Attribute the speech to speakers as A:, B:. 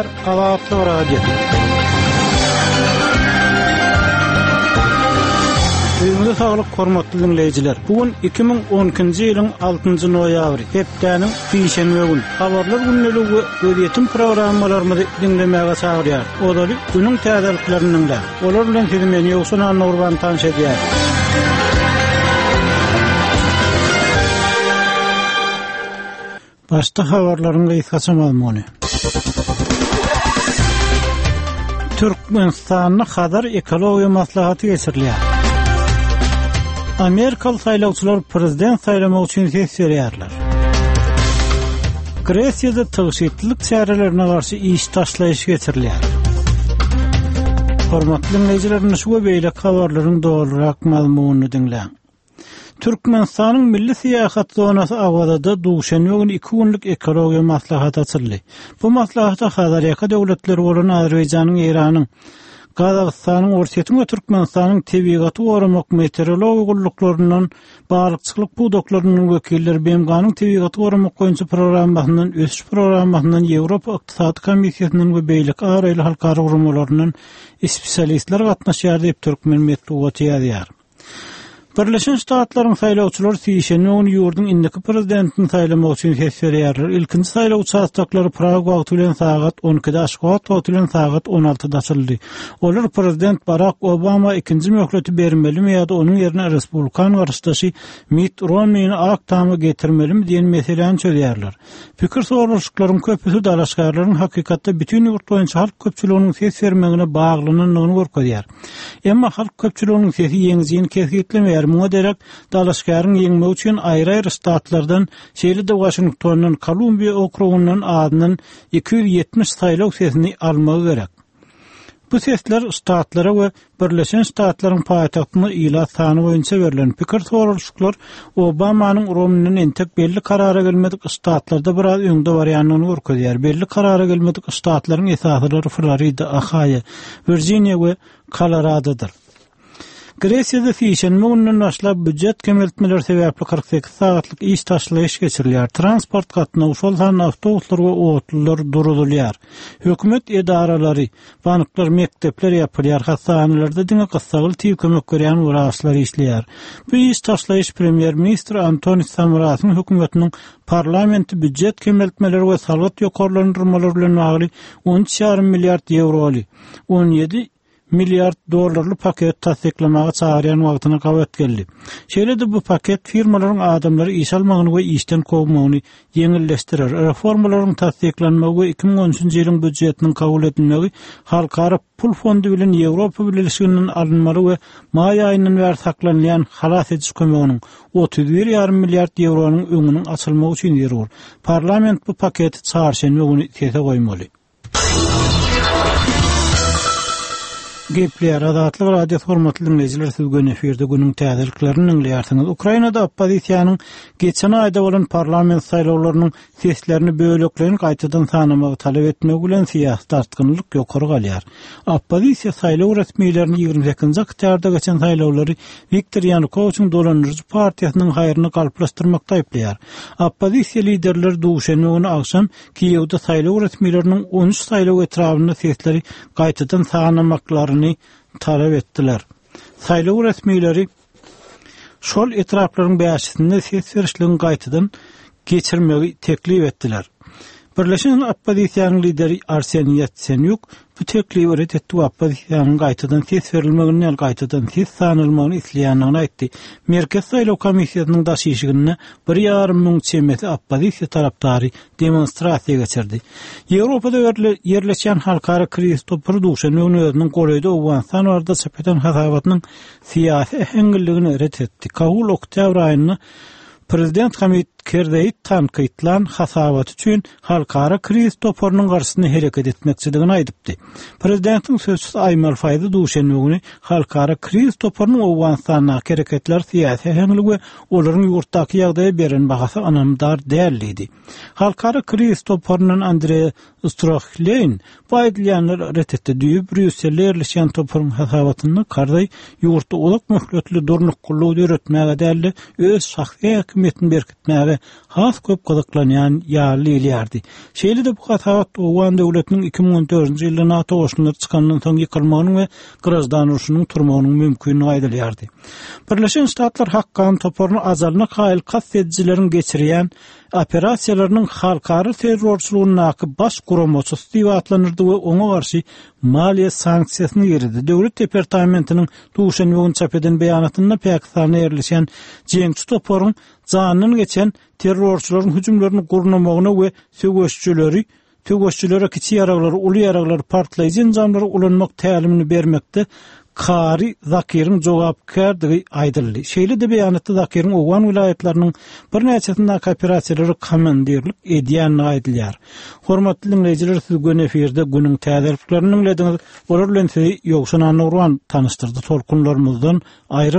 A: Gepleýär Azatlyk Radiosy. Öýüňize saglyk hormatly diňleýjiler. Bu gün 2012-nji ýylyň 6-njy noýabry, hepdäniň sişenbe güni. Habarlar gündeligi we gözýetim programmalarymyzy diňlemäge çagyrýar. Ozaly günüň täzeliklerini diňläň. Olar bilen sizi men Ýowşan Annagurban tanyş edýär. Başda habarlaryň gysgaça mazmuny. Türkmenistanda Hazar ekologiýa maslahaty geçirilýär. Amerikaly saýlawçylar prezident saýlamak üçin ses berýärler. Gresiýada tygşytlylyk çärelerine garşy iş taşlaýyş geçirilýär. Hormatly diňleýjiler, indi şu we beýleki habarlaryň dolurak mazmunyny diňläň. Türkmenistanyň milli syýahat zonasy Awazada duşenbe güni iki günlük ekologiýa maslahaty açyldy. Bu maslahata Hazarýaka döwletleri bolan Azerbaýjanyň, Eýranyň, Gazagystanyň, Orsýetiň we Türkmenistanyň tebigaty goramak, meteorologiýa gulluklaryndan, balykçylyk pudaklaryndan wekiller, BMG-niň tebigaty goramak boýunça programmasyndan, ösüş programmasyndan, Ýewropa ykdysady komissiýasyndan we beýleki abraýly halkara guramalaryndan spesialistler gatnaşýar diýip, türkmen metbugaty ýazýar. Birleşen Ştatlaryň saýlawçylary sişenbe güni ýurduň indiki prezidentini saýlamak üçin ses berýärler. Ilkinji saýlaw uçastoklary Prag wagty bilen sagat on ikide, Aşgabat wagty bilen sagat on altyda açyldy. Olar prezident Barak Obama ikinji möhleti bermelimi ýa-da onuň ýerine respublikan garşydaşy Mitt Romnini Ak Tama getirmelimi diýen meseläni çözýärler. Pikir soralyşyklaryň köpüsi dalaşgärleriň hakykatda bütin ýurt boýunça halk köpçüliginiň ses bermegine baglanandygyny görkezýär. Emma halk köpçüliginiň sesi ýeňijini kesgitlemeýär, muňa derek dalaşgäriň ýeňmegi üçin aýry-aýry ştatlardan, şeýle-de Waşingtondan, Kolumbiýa okrugyndan azyndan 270 saýlaw sesini almagy gerek. Bu sesler ştatlara we Birleşen Ştatlaryň paýtagtynda ilat sany boýunça berlen pikir soralyşyklar Obamanyň Romninden entek belli karara gelmedik ştatlarda biraz öňde barýandygyny görkezýär. Belli karara gelmedik ştatlaryň esasylary Florida, Ohaýo, Wirjiniýa we Koloradodyr. Gresiýada sişenbe gününden başlap býujet kemeltmeleri sebäpli 48 sagatlyk iş taşlaýyş geçirilýär. Transport gatnawy, şol sanda awtobuslar we otlular duruzylýar. Hökümet edaralary, banklar, mekdepler ýapylýar, hassahanalarda diňe gyssagly tiz kömek berýän wraçlar işleýär. Bu iş taşlaýyş premýer-ministr Antonis Samarasyň hökümetiniň parlamenti býujet kemeltmeleri we salgyt ýokarlandyrmalary bilen bagly on üç ýarym milliard ýewroly, 17 milliard dollarly paket tassyklamaga çagyrýan wagtyna gabat geldi. Şeýle-de bu paket firmalaryň adamlary işe almagyny we işden kowmagyny ýeňilleşdirer. Reformalaryň tassyklanmagy we 2013-nji ýylyň býujetiniň kabul edilmegi Halkara pul fondy bilen Ýewropa Bileleşiginden alynmaly we maý aýyndan bäri saklanylýan halas ediş kömeginiň 31 ýarym milliard ýewronyň öňüniň açylmagy üçin zerur. Parlament bu paketi çarşenbe güni sese goýmaly. Gepleýär Azatlyk Radiosy hormatly diňleýjiler siz göni efirde günüň täzeliklerini diňleýärsiňiz. Ukrainada oppozisiýanyň geçen aýda bolan parlament saýlawlarynyň seslerini bölekleýin gaýtadan sanamagy talap etmegi bilen syýasy dartgynlylyk ýokary galýar. Oppozisiýa saýlaw resmilerini 28-nji oktýabrda geçen saýlawlary Wiktor Ýanukowiçiň dolandyryjy partiýasynyň haýryna galplaşdyrmakda aýyplaýar. Oppozisiýa liderleri duşenbe güni agşam Kiýewde saýlaw resmileriniň 13 saýlaw etrabynda sesleri gaýtadan sanamaklaryny talap etdiler. Saýlaw resmileri şol etraplaryň bäşisinde ses berişligiň gaýtadan geçirmegi teklip etdiler. Birleşen oppozisiýanyň lideri Arseniý Ýatsenýuk bu teklibi ret etdi we oppozisiýanyň gaýtadan ses berilmegini däl, gaýtadan ses sanalmagyny isleýändigini aýtdy. Merkezi saýlaw komissiýasynyň daş işiginde bir ýarym müň çemesi oppozisiýa tarapdary demonstrasiýa geçirdi. Ýewropada ýerleşýän Halkara krizis topary duşenbe güni özüniň golaýda Owganystan barada çap eden hasabatynyň syýasy äheňliligini ret etdi. Kabul oktýabr aýynda prezident Hamid Kerzeýi tankytlan hasabaty üçin Halkara krizis toparynyň garşysyna hereket etmekçidigini aýdypdy. Prezidentiň sözçüsi Aýmal Faýzy duşenbe güni Halkara krizis toparynyň Owganystandaky hereketleri syýasy äheňli we olaryň ýurtdaky ýagdaýa beren bahasy ynamdar däl diýdi. Halkara krizis toparyndan Andreý Strohleýn bu aýdylýanlary ret etdi. Düýbi Brýusselde ýerleşýän toparyň hasabatynda Karzaý ýurtda uzak möhletli durnuklylygy döretmäge däl-de, öz şahsy häkimiýetini. häkimiýetini berkitmäge has köp gyzyklanýan ýaly diýilýärdi. Şeýle-de bu hasabat owgan döwletiniň 2014-nji ýylda NATO goşunlary çykandan soň ýykylmagynyň we graždan urşunyň turmagynyň mümkindigi aýdylýardy. Birleşen Ştatlar Hakkany toparyny ajalyna kaýyl kast edijileriň geçirýän operasiýalarynyň halkara terrorçylygyndaky baş guramaçysy diýip atlandyrdy we oňa garşy maliýe sanksiýasyny girizdi. Döwlet departamentiniň duşenbe güni çap eden beýanatynda Pakistanda ýerleşýän jeňçi toparyň janyndan geçen terrorçylaryň hüjümlerini gurnamagyna we söweşijileri söweşijilere kiçi ýaraglary, uly ýaraglary, partlaýjy enjamlary ulanmak tälimini bermekde Kari Zakiriň jogapkärdigi aýdyldy. Şeýle-de beýanatda Zakiriň owgan welaýatlarynyň birnäçesindäki operasiýalara komandirlik edýändigi aýdylýar. Hormatly diňleýjiler, siz göni efirde günüň täzeliklerini diňlediňiz. Olar bilen sizi Ýowşan Annagurban tanyşdyrdy. Tolkunlarymyzdan aýryl.